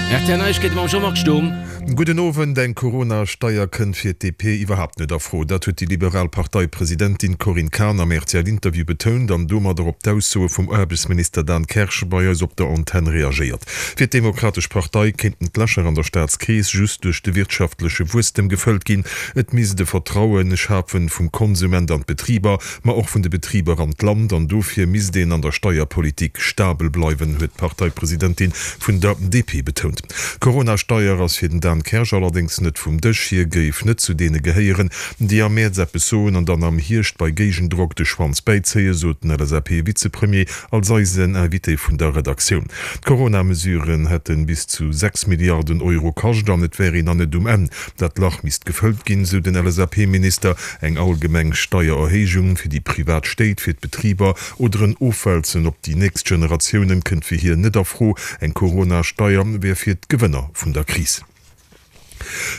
Rtl Neiegkeete mam Jean-Marc Sturm. Gudden Owend. Eng Corona-Steier kënnt fir d'DP iwwerhaapt net a Fro. Dat huet déi liberal Parteipresidentin Corinne Cahen am RTL-Interview betount an domadder op d'Aussoe vum Aarbechtsminister Dan Kersch bei eis op der Antenn reagéiert. Fir d'Demokratesch Partei kéinten d'Lächer an der Staatskeess just duerch de wirtschaftleche Wuesstem gefëllt ginn. Et misst e Vertraue schafe vum Konsument an d'Betriber, ma och vun de Betriber an d'Land an dofir misst een an der Steierpolitik stabel bleiwen, huet d'Parteipresidentin vun der DP betount. D'Corona-Steier ass fir den Dan Kersch allerdéngs net vum Dësch. Hie géif net zu deene gehéieren, déi am Mäerz eppes soen an dann am Hierscht bei Géigendrock de Schwanz bäizéien, sot den LSAP-Vizepremier als eisen Invité vun der Redaktioun. D'Corona-Mesuren hätte bis zu 6 Milliarden Euro kascht an et wär een nach net um Enn. Dat Lach misst gefëllt ginn, sou den LSAP-Minister. Eng allgemeng Steiererhéijung fir déi privat Stéit, fir d'Betriber oder en Ofwälzen op déi nächst Generatiounen kënnt fir hien net a Fro. Eng Corona-Steier wär fir d'Gewënner vun der Kris.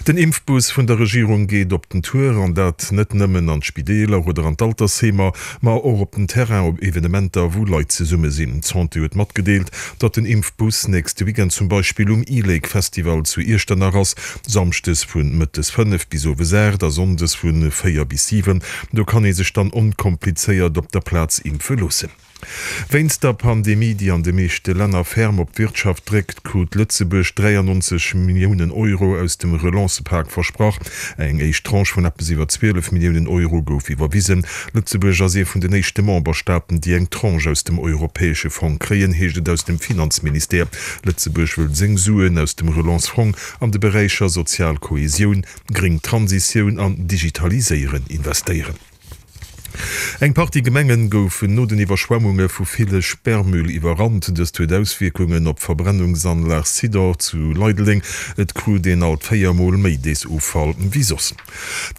Den Impfbus vun der Regierung geet op den Tour, an dat net nëmmen an d'Spideeler oder an d'Altersheemer, ma och op den Terrain op Evenementer, wou Leit zesumme sinn. D'Santé huet matgedeelt, datt den Impfbus nächste Weekend zum Beispill um e-Lake Festival zu Iechternach ass. Samschdes vu mëttes 5 bis owes 8 a sonndes vu 4 bis 7. Do kann ee sech dann onkomplizéiert op der Plaz impfe loossen. Wéinst der Pandemie, déi an de meeschte Länner ferm op d'Wirtschaft dréckt, krut Lëtzebuerg 93 Milliounen Euro aus dem Relancepak versprach. Eng éischt Tranche vun eppes iwwer 12 Milliounen Euro gouf iwwerwisen. Lëtzebuerg ass ee vun den éischte Memberstaaten, déi eng Tranche aus dem europäesche Fong kréien, heescht et aus dem Finanzministère. Lëtzebuerg wëll seng Suen aus dem Relance-Fong an de Beräicher sozial Kohesioun, gréng Transitioun an Digitaliséieren investéieren. Eng Partie Gemengen goufen no den Iwwerschwemmunge vu ville Sperrmüll iwwerrannt. Dëst huet Auswierkungen op d'Verbrennungsanlag Sidor zu Leideleng. Et krut een alt 4 Mol méi Deesoffall wéi soss.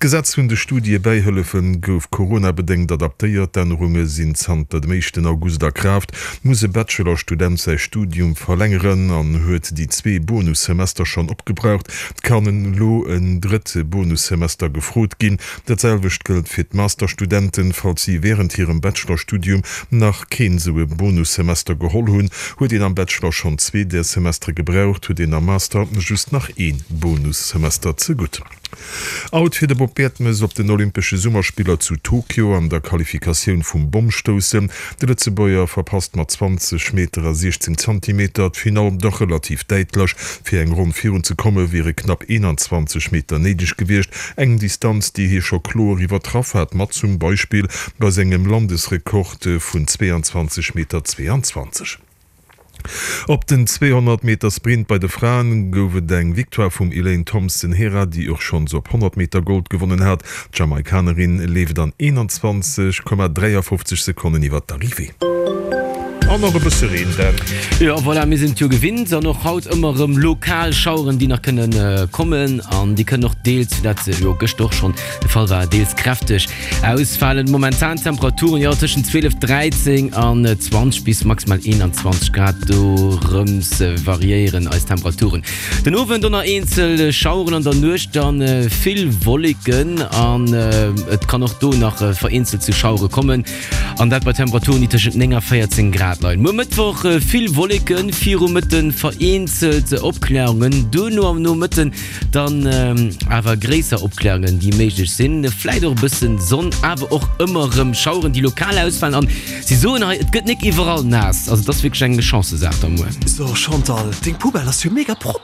D'Gesetz vun de Studiebäihëllefe gouf coronabedéngt adaptéiert. D'Ännerunge sinn zanter dem éischten August a Kraaft. Muss e Bachelor-Student säi Studium verlängeren an huet déi zwee Bonussemester schonn opgebraucht, kann elo en drëtte Bonussemester gefrot ginn. Dat selwecht gëllt fir d'Masterstudenten, falls si wärend hirem Bachelorstudium nach keen esou e Bonussemester geholl hunn. Huet een am Bachelor schonn zwee där Semestere gebraucht, huet een am Master just nach ee Bonussemester zegutt. Out fir de Bob Bertemes op den Olympesche Summerspiller zu Tokio an der Qualifikatioun vum Bommstoussen. De Lëtzebuerger verpasst mat 20 Meter a 16 Zantimeter d'Finall dach relativ däitlech. Fir eng Ronn virun ze komme wiere knapp 21 Meter néideg gewiescht, eng Distanz déi hie scho kloer iwwertraff hat, mat zum Beispill bei sengem Landesrekord vun 22 Meter 22. Op den 200 Meter Sprint bei de Fraen gouf et eng Victoire vum Elaine Thompson-Herah, déi och schonns op 100 Meter Gold gewonnen hat. D'Jamaikanerin leeft an 21,53 Sekonnen iwwer d'Arrivée. An och e bësse Reen, Dan. Jo, voilà, mir sinn et jo gewinnt an och haut ëmmer erëm lokal Schaueren, déi nach kënne kommen an déi kënnen och deels, wéi dat jo gëschter och schonn de Fall war, deels kräfteg Ausfalen. Momentan Temperaturen, jo, tëschent 12, 13 an 20 bis maximal 21 Grad, dorëms variéieren eis Temperaturen. Den Owend dann nach eenzel Schaueren, an der Nuecht dann vill Wolleken an et kann och do nach vereenzelt zu Schauere kommen an dat bei Temperaturen, déi tëschent 9 a 14 Grad leien. Muer Mëttwoch vill Wolleken, viru Mëtten vereenzelt Opklärungen, duerno am Nomëtten dann awer gréisser Opklärungen, déi méiglech sinn, vläit och e bëssen Sonn, awer och ëmmer erëm Schaueren, déi lokal ausfalen an si soen hei, et gëtt nik iwwerall naass, also et ass wierklech eng Chancesaach da muer. So Chantal, deng Poubelle ass jo mega propper!